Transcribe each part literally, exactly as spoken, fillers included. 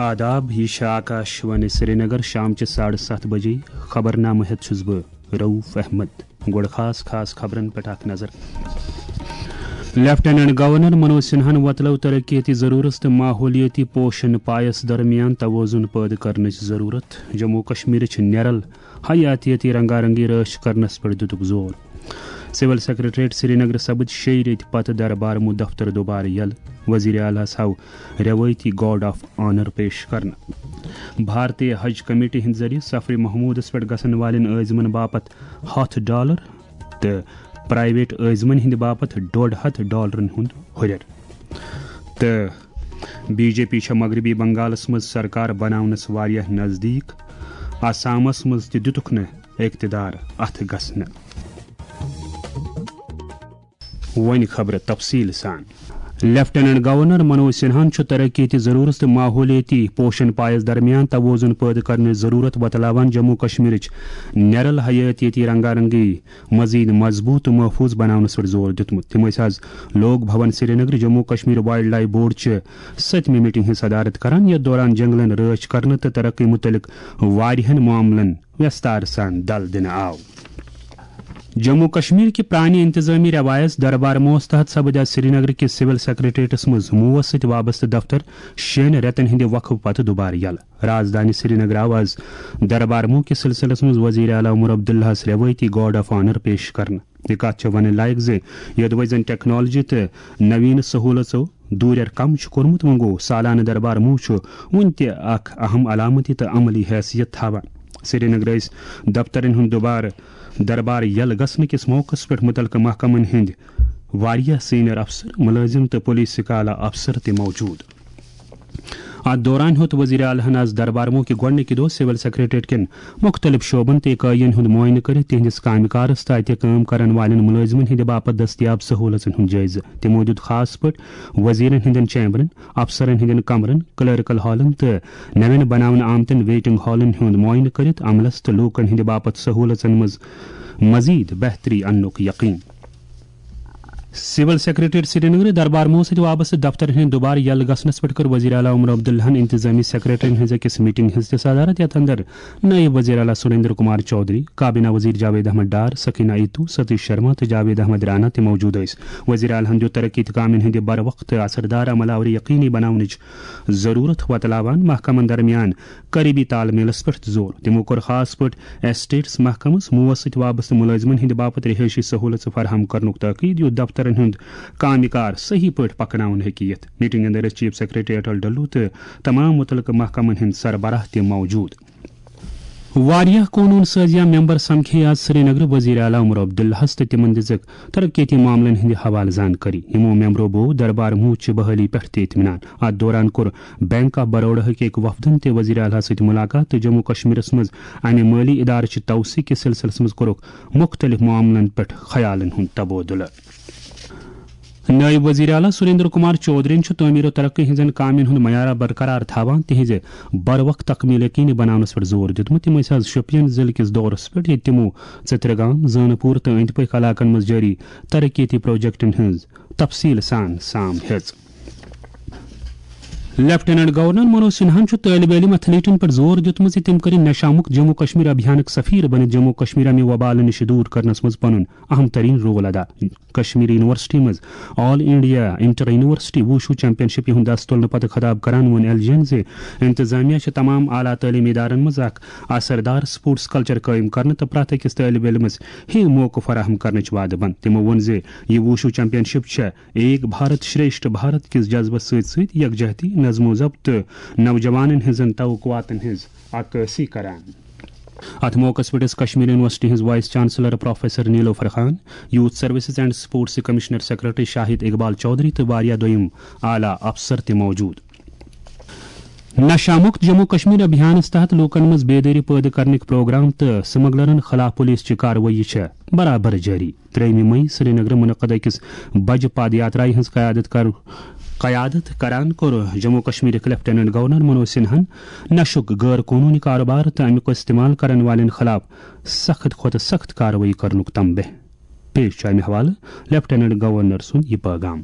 آداب، یہِ چھِ آکاش وانی سرینگر، شام چہِ ساڑٕ ستھ بجے۔ خبرنامہٕ ہٮ۪تھ چھُس بہٕ رؤف احمد۔ گۄڈٕ خاص خاص خبرن پٮ۪ٹھ اکھ نظر۔ لیفٹیننٹ گورنر منوج سنہاہن وۄتلٲو ترقیتی ضرورت تہٕ ماحولیٲتی پوشن پایس درمیان توازن پٲدٕ کرنٕچ ضرورت۔ جموں کشمیرٕچ نیرل حیاتیٲتی رنگارنگی رٲچھ کرنس پٮ۪ٹھ دِتُکھ زور۔ سول سیکرٹریٹ سرینگر سپٕدۍ شیٚیہِ ریٚتۍ پتہٕ دربارموٗ دفتر دوبارٕ یلہٕ۔ وزیر اعلیٰ ہس آو روایتی گارڈ آف آنر پیش کرنہٕ۔ بھارتی حج کمیٹی ہٕنٛدِ ذٔریعہٕ سفرِ محمودس پٮ۪ٹھ گژھن والٮ۪ن عٲزمن باپتھ ہتھ ڈالر تہٕ پرائیویٹ عٲزمن ہٕنٛدِ باپتھ ڈۄڈ ہتھ ڈالرن ہُنٛد ہُرٮ۪ر۔ تہٕ بی جے پی چھےٚ مغربی بنگالس منٛز سرکار بناونس واریاہ نزدیٖک۔ آسامس منٛز تہِ دِتُکھ نہٕ اقتدار اتھ گژھنہٕ۔ وۄنۍ خبرٕ تفصیٖل سان۔ لیفٹیننٹ گورنر منوج سنہاہن چھُ ترقیتی ضرورت تہٕ ماحولیٲتی پوشن پایس درمیان توازن پٲدٕ کرنٕچ ضرورت وۄتلاوان جموں کشمیرٕچ نیرل حیاتیٲتی رنگارنگی مزید مضبوط تہٕ محفوظ بناونس پٮ۪ٹھ زور دیُتمُت۔ تِم ٲسۍ آز Lok Bhavan Srinagar Jammu Kashmir wildlife board چہِ ستمہِ میٹنگ ہٕنٛز صدارت کران، یتھ دوران جنگلن رٲچھ کرنہٕ تہٕ ترقی متعلق واریاہن معاملن ویستار سان دل دِنہٕ آو۔ جموں کشمیر کہِ پرانہِ انتظامی روایس دربارموس تحت سپٕدۍ آز سرینگر کِس سول سیکرٹریٹس منٛز موس سۭتۍ وابستہٕ دفتر شیٚن رٮ۪تن ہٕنٛدِ وقفہٕ پتہٕ دوبارٕ یلہٕ۔ رازدانی سرینگر آو آز دربارموہ کِس سلسلس منٛز وزیر اعلیٰ عمر عبداللہس روایتی گارڈ آف آنر پیش کرنہٕ۔ یہِ کتھ چھےٚ ونٕنۍ لایق زِ یوٚدوے زن ٹیکنالوجی تہٕ نوین سہولژو دوٗرٮ۪ر کم چھُ کوٚرمُت، وۄنۍ گوٚو سالانہٕ دربارموہ چھُ وُنہِ تہِ اکھ اہم علامتی تہٕ عملی حیثیت تھاوان۔ سرینگر ٲسۍ دفترن ہُنٛد دوبارٕ دربار یلہٕ گژھنہٕ کِس موقعس پٮ۪ٹھ مُتعلقہٕ محکمن ہٕنٛدۍ واریاہ سینئر افسر، مُلٲزِم تہٕ پولیس سکالہ افسر تہِ موجود۔ اتھ دوران ہیوٚت وزیر اعلیٰ ہن آز دربارموہ کہِ گۄڈٕنِکہِ دۄہ سول سیکرٹریٹ کٮ۪ن مُختٔلِف شعبن تہٕ اِکٲیین ہُنٛد معائنہٕ کٔرِتھ تِہنٛدِس کامہِ کارس تہٕ اتہِ کٲم کرن والٮ۪ن مُلٲزِمن ہٕنٛدِ باپتھ دٔستیاب سہوٗلژن ہُنٛد جٲیزٕ۔ تِمو دیُت خاص پٲٹھۍ وزیرن ہٕنٛدٮ۪ن چیمبرن، افسرن ہٕنٛدٮ۪ن کمرن، کلرکل ہالن تہٕ نوٮ۪ن بناونہٕ آمتٮ۪ن ویٹنگ ہالن ہُنٛد معائنہٕ کٔرِتھ عملس تہٕ لوٗکن ہٕنٛدِ باپتھ سہوٗلژن منٛز مزید بہتری اننُک یقین۔ سول سیکرٹریٹ سرینگر دربارموہ سۭتۍ وابستہٕ دفترن ہٕنٛدِ دوبارٕ یلہٕ گژھنس پٮ۪ٹھ کٔر وزیر اعلیٰ عمر عبداللہن انتظامی سیکرٹرین ہٕنٛز أکِس میٹنگ ہٕنٛز تہِ صدارت، یتھ اندر نائب وزیر اعلیٰ سریندر کمار چودھری، کابینہ وزیر جاوید احمد ڈار، سکینہ ایتو، ستیش شرما تہٕ جاوید احمد رانا تہِ موجود ٲسۍ۔ وزیر اعلیٰ ہن دیُت ترقیتی کامٮ۪ن ہٕنٛدِ بروقت تہٕ اثردار عمل آوری یقینی بناونٕچ ضرورت وۄتلاوان محکمن درمیان قریبی تال میلس پٮ۪ٹھ زور۔ تِمو کوٚر خاص پٲٹھۍ ایسٹیٹس محکمس موس سۭتۍ وابستہٕ مُلٲزمن ہٕنٛدِ باپتھ رہٲیشی سہوٗلژٕ فراہم کرنُک تاکید، یُتھ دفترن ہُنٛد کامہِ کار صحیح پٲٹھۍ پکناوُن ہیٚکہِ یِتھ۔ میٹنگ اندر ٲسۍ چیف سیکرٹری اٹل ڈلو تہٕ تمام مُتعلقہٕ محکمن ہٕنٛدۍ سربراہ تہِ موجود۔ واریاہ قونوٗن سازیہ ممبر سمکھے آز سرینگر وزیر اعلیٰ عمر عبداللہس تہٕ تِمن دِژٕکھ ترقیتی معاملن ہٕنٛدِ حوالہٕ زانکٲری۔ یِمو ممبرو بوو دربار موٗد چہِ بحالی پٮ۪ٹھ تہِ اطمینان۔ اتھ دوران کوٚر بینک آف بروڈاہٕکۍ أکۍ وفدن تہِ وزیر اعلیٰ سۭتۍ ملاقات تہٕ جموں کشمیرس منٛز امہِ مٲلی ادارٕ چہِ توسیع کِس سلسلس منٛز کوٚرُکھ مُختٔلِف معاملن پٮ۪ٹھ خیالن ہُنٛد تبادلہٕ۔ نٲیِب وزیر اعلیٰ سریندر کمار چودھرین چھُ تعمیٖر و ترقی ہٕنٛزن کامٮ۪ن ہُنٛد معیار برقرار تھاوان تِہنٛزِ بروقت تکمیل یقینی بناونس پٮ۪ٹھ زور دیُتمُت۔ تِم ٲسۍ آز شوپین ضلعہٕ کِس دورس پٮ۪ٹھ، ییٚتہِ تِمو ژترگام، زانپور تہٕ أنٛدۍ پٔکۍ علاقن منٛز جٲری ترقیتی پروجیکٹن ہٕنٛز تفصیل سان سام ہیٚژ۔ لیفٹیننٹ گورنر منوج سنہاہن چھُ طٲلبِ علم ایتھلیٹن پٮ۪ٹھ زور دیُتمُت زِ تِم کٔرِن نشہ مُکت جموں کشمیر ابھیانٕک سفیر بٔنِتھ جموں کشمیر امہِ وبالہٕ نِش دوٗر کرنس منٛز پنُن اہم ترین رول ادا۔ کشمیر یونیورسٹی منٛز all India inter university wushu championship ہُنٛد دس تُلنہٕ پتہٕ خطاب کران ووٚن ایل جی ین زِ انتظامیہ چھِ تمام اعلیٰ تعلیمی ادارن منٛز اکھ اثردار سپورٹس کلچر قٲیِم کرنہٕ تہٕ پرٛٮ۪تھ أکِس طٲلبِ علمس ہِوۍ موقعہٕ فراہم کرنٕچ وعدٕ بنٛد۔ تِمو ووٚن زِ یہِ ووشو چیمپین شپ چھےٚ ایک بھارت شریشٹھ بھارت کِس جذبس سۭتۍ سۭتۍ یکجہتی، نظم و ضبط تہٕ نوجوانن ہٕنٛزن توقعاتن ہٕنٛز عکٲسی کران۔ اتھ موقعس پٮ۪ٹھ ٲسۍ کشمیر یونیورسٹی ہٕنٛز vice chancellor professor Nilofar Khan, youth services and sports commissioner secretary Shahid Iqbal Chaudhary تہٕ واریاہ دوٚیم اعلیٰ افسر تہِ موجود۔ نشہ مکت جموں کشمیر ابھیانس تحت لوکن منٛز بیدٲری پٲدٕ کرنٕکۍ پروگرام تہٕ سمگلرن خلاف پولیس چہِ کاروٲیی چھےٚ برابر جٲری۔ ترٛیٚیِمہِ مئی سرینگرٕ منعقد أکِس بجہِ پد یاترایہِ ہٕنٛز قیادت کر-، قیادت کران کوٚر جموں کشمیرٕکۍ لیفٹیننٹ گورنر منوج سنہاہن نشُک غٲر قونوٗنی کاروبار تہٕ امیُک استعمال کرن والٮ۪ن خلاف سخت کھۄتہٕ سخت کاروٲیی کرنُک تنبیہ۔ پیش چھُ امہِ حوالہٕ لیفٹیننٹ گورنر سُنٛد یہِ پٲغام۔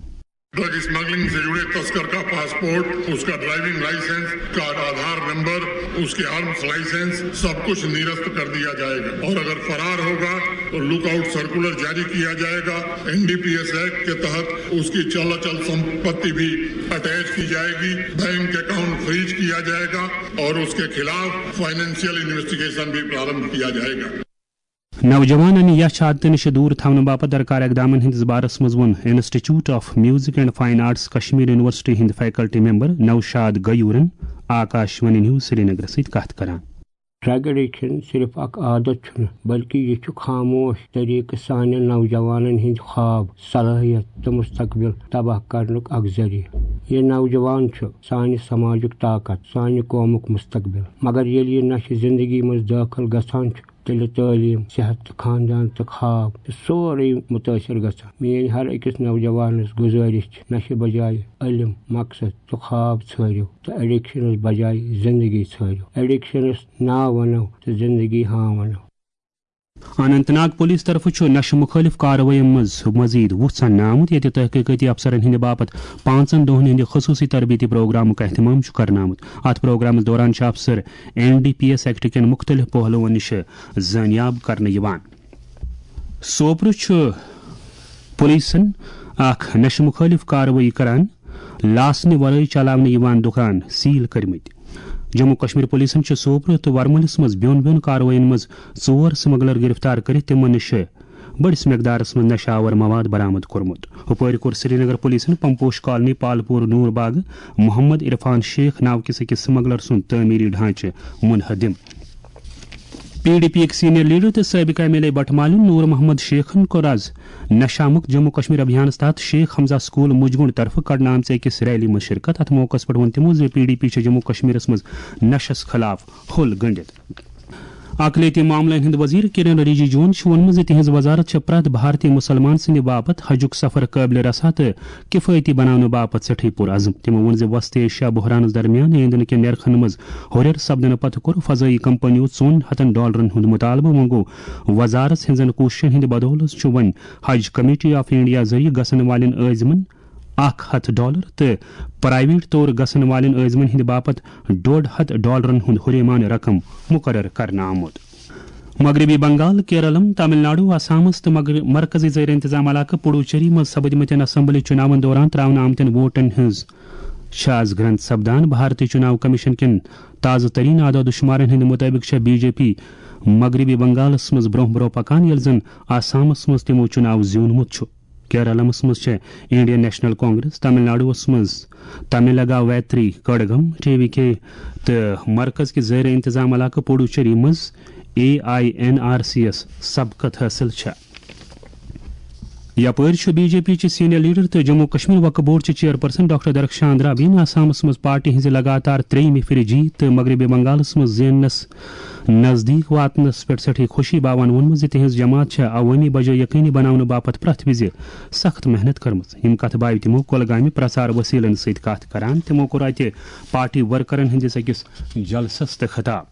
ड्रग स्मगलिंग से जुड़े तस्कर का पासपोर्ट, उसका ड्राइविंग लाइसेंस, का आधार नंबर, उसके आर्म्स लाइसेंस, सब कुछ निरस्त कर दिया जाएगा। और अगर फरार होगा तो लुकआउट सर्कुलर जारी किया जाएगा। एनडीपीएस एक्ट के तहत उसकी चल अचल संपत्ति भी अटैच की जाएगी। बैंक अकाउंट फ्रीज किया जाएगा और उसके खिलाफ फाइनेंशियल इन्वेस्टिगेशन भी प्रारंभ किया जाएगा। نوجوانن یژھ عادتہٕ نِش دوٗر تھاونہٕ باپتھ درکار اقدامن ہٕنٛدِس بارس منٛز ووٚن institute of music and fine arts Kashmir university ہٕنٛدۍ فیکلٹی ممبر نوشاد غیورن آکاش وانی نیوز سرینگرس سۭتۍ کتھ کران۔ ڈرگ ایڈکشن صرف اکھ عادت چھُنہٕ، بلکہ یہِ چھُ خاموش طریقہٕ سانٮ۪ن نوجوانن ہٕنٛدۍ خواب، صلٲحیت تہٕ مستقبل تباہ کرنُک اکھ ذٔریعہٕ۔ یہِ نوجوان چھُ سانہِ سماجُک طاقت، سانہِ قومُک مستقبل۔ مگر ییٚلہِ یہِ نشہٕ زندگی منٛز دٲخل گژھان چھُ، تیٚلہِ تعلیٖم، صحت تہٕ خاندان تہٕ خواب چھُ سورُے مُتٲثر گژھان۔ میٲنۍ ہر أکِس نوجوانس گُزٲرِش چھِ، نشہٕ بجایہِ علم، مقصد تہٕ خواب ژھٲرِو تہٕ ایڈکشنس بجایہِ زندگی ژھٲرِو۔ ایڈکشنس نا ونو تہٕ زندگی ہاں ونو۔ اننت ناگ پولیس طرفہٕ چھُ نشہٕ مُخٲلف کاروٲیی منٛز مزید وُژھ اننہٕ آمُت، ییٚتہِ تحقیقٲتی افسرن ہٕنٛدِ باپتھ پانٛژن دۄہن ہٕنٛدِ خصوٗصی تربیتی پروگرامُک اہتمام چھُ کرنہٕ آمُت۔ اتھ پروگرامس دوران چھِ افسر N D P S act کٮ۪ن مُختٔلِف پہلوَن نِش زٲنیاب کرنہٕ یِوان۔ سوپرٕ چھُ پولیسن اکھ نشہٕ مُخٲلف کاروٲیی کران لاسنہٕ ورٲے چلاونہٕ یِوان دُکان سیل کٔرمٕتۍ۔ جموں کشمیر پولیسن چھِ سوپرٕ تہٕ ورمُلِس منٛز بیوٚن بیوٚن کاروٲیین منٛز ژور سمگلر گرفتار کٔرِتھ تِمن نِش بٔڑِس مقدارس منٛز نشہٕ آور مواد برآمد کوٚرمُت۔ ہُپٲرۍ کوٚر سرینگر پولیسن پمپوش کالنی پالپور نور باغ محمد عرفان شیخ ناو کِس أکِس سمگلر سُنٛد تعمیٖری ڈھانچہٕ منہدم۔ پی ڈی پی یِک سینئر لیڈر تہٕ سٲبقہٕ ایم ایل اے بٹہٕ مالیُن نور محمد شیخن کوٚر از نشہ مکت جموں کشمیر ابھیانس تحت شیخ حمزہ سکول مجگنڈ طرفہٕ کڑنہٕ آمژِ أکِس ریلی منٛز شرکت۔ اتھ موقعس پٮ۪ٹھ ووٚن تِمو زِ پی ڈی پی چھِ جموں کشمیرس منٛز نشس خلاف حل گٔنڈِتھ۔ اقلیتی معاملن ہٕنٛدۍ وزیر کرن رجیجون چھُ ووٚنمُت زِ تِہنٛز وزارت چھےٚ پرٛٮ۪تھ بھارتی مسلمان سٕنٛدِ باپتھ حجُک سفر قٲبلِ رسا تہٕ کفٲیتی بناونہٕ باپتھ سٮ۪ٹھٕے پُرعزم۔ تِمو ووٚن زِ وسط ایشیا بحرانس درمیان ایندھن کٮ۪ن نرخن منٛز ہُرٮ۪ر سپدنہٕ پتہٕ کوٚر فضٲیی کمپنیو ژۄن ہتن ڈالرن ہُنٛد مطالبہٕ۔ وۄنۍ گوٚو وزارت ہٕنٛزن کوٗششن ہٕنٛدِ بدولس چھُ وۄنۍ حج کمیٹی آف انڈیا ذٔریعہٕ گژھن والٮ۪ن عٲزمن اکھ ہتھ ڈالر تہٕ پرائیویٹ طور گژھن والٮ۪ن عٲزمن ہٕنٛدِ باپتھ ڈۄڈ ہتھ ڈالرن ہُنٛد ہُریمان رقم مقرر کرنہٕ آمُت۔ مغربی بنگال، کیرالم، تامل ناڈو، آسامس تہٕ مغر-، مرکزی زیر انتظام علاقہٕ پڈوچیری منٛز سپدمٕتٮ۪ن اسمبلی چُناون دوران تراونہٕ آمتٮ۪ن ووٹن ہٕنٛز چھِ از گرنٛد سپدان۔ بھارتی چُناو کمیشن کٮ۪ن تازٕ ترین اعداد و شمارن ہٕنٛدِ مُطٲبِق چھےٚ بی جے پی مغربی بنگالس منٛز برونٛہہ برونٛہہ پکان، ییٚلہِ زن آسامس منٛز تِمو چُناو زیوٗنمُت چھُ۔ کیرالمس منٛز چھےٚ انڈین نیشنل کانگریس، تامل ناڈوس منٛز تاملگا ویتری کڑگم، ٹی وی کے، تہٕ مرکز کہِ زیر انتظام علاقہٕ پڈوچیری منٛز A I N R C یس سبقت حٲصِل چھےٚ۔ یپٲرۍ چھُ بی جے پی چہِ سینئر لیڈر تہٕ جموں کشمیر وقف بورڈ چہِ چیئرپرسن ڈاکٹر درخشان رابین آسامس منٛز پارٹی ہٕنٛزِ لگاتار ترٛیٚیِمہِ پھِرِ جیٖت تہٕ مغربی بنگالس منٛز زیننس نزدیٖک واتنس پٮ۪ٹھ سٮ۪ٹھٕے خوشی باوان ووٚنمُت زِ تِہنٛز جماعت چھےٚ عوٲمی بجٲے یقینی بناونہٕ باپتھ پرٛٮ۪تھ وِزِ سخت محنت کٔرمٕژ۔ یِم کتھٕ بایہِ تِمو کۄلگامہِ پرچار وسیلن سۭتۍ کتھ کران۔ تِمو کوٚر اتہِ پارٹی ورکرن ہٕنٛدِس أکِس جلسس تہٕ خطاب۔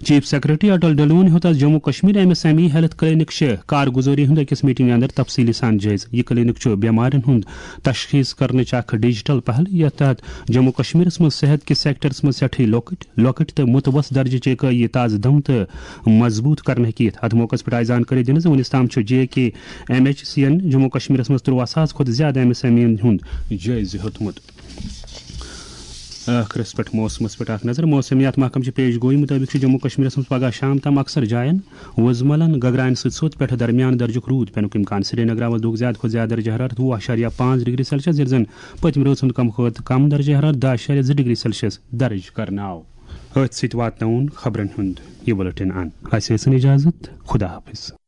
چیف سیکرٹری اٹل ڈلون ہیوٚت از Jammu Kashmir M S M E health clinic چہِ کارگزٲری ہُنٛد أکِس میٹنگ اندر تفصیلی سان جٲیزٕ۔ یہِ کلینک چھُ بیمارٮ۪ن ہُنٛد تشخیص کرنٕچ اکھ ڈیجیٹل پہل، یتھ تحت جموں کشمیرس منٛز صحت کِس سیکٹرس منٛز سٮ۪ٹھٕے لۄکٕٹۍ لۄکٕٹۍ تہٕ متوسط درجہٕ چہِ اکٲیی تازٕ دم تہٕ مضبوط کرنہٕ ہیٚکہِ یِتھ۔ اتھ موقعس پٮ۪ٹھ آیہِ زانکٲری دِنہٕ زِ وُنیُس تام چھُ جے کے ایم ایچ سی یَن جموں کشمیرس منٛز ترٛوواہ ساس کھۄتہٕ زیادٕ ایم ایس ایم ای یَن ہُنٛد جٲیزٕ ہیوٚتمُت۔ ٲخرس پٮ۪ٹھ موسمس پٮ۪ٹھ اکھ نظر۔ موسمیات محکمہٕ چہِ پیش گویی مُطٲبِق چھُ جموں کشمیرس منٛز پگاہ شام تام اکثر جاین وُزملن گگراین سۭتۍ سوٚت پٮ۪ٹھٕ درمیان درجُک روٗد پینُک امکان۔ سرینگر آوس دۄہُک زیادٕ کھۄتہٕ زیادٕ درجہٕ حرارت وُہ اعشاریہ پانٛژھ ڈگری سیلسیس، ییٚلہِ زن پٔتمہِ رٲژ ہُنٛد کم کھۄتہٕ کم درجہٕ حرارت دَہ اعشاریہ زٕ ڈگری سیلسیس درج کرنہٕ آو۔ أتھۍ سۭتۍ واتناوُن خبرن ہُنٛد یہِ بُلٹن اند۔ اسہِ ٲسِن اجازت۔ خدا حافظ۔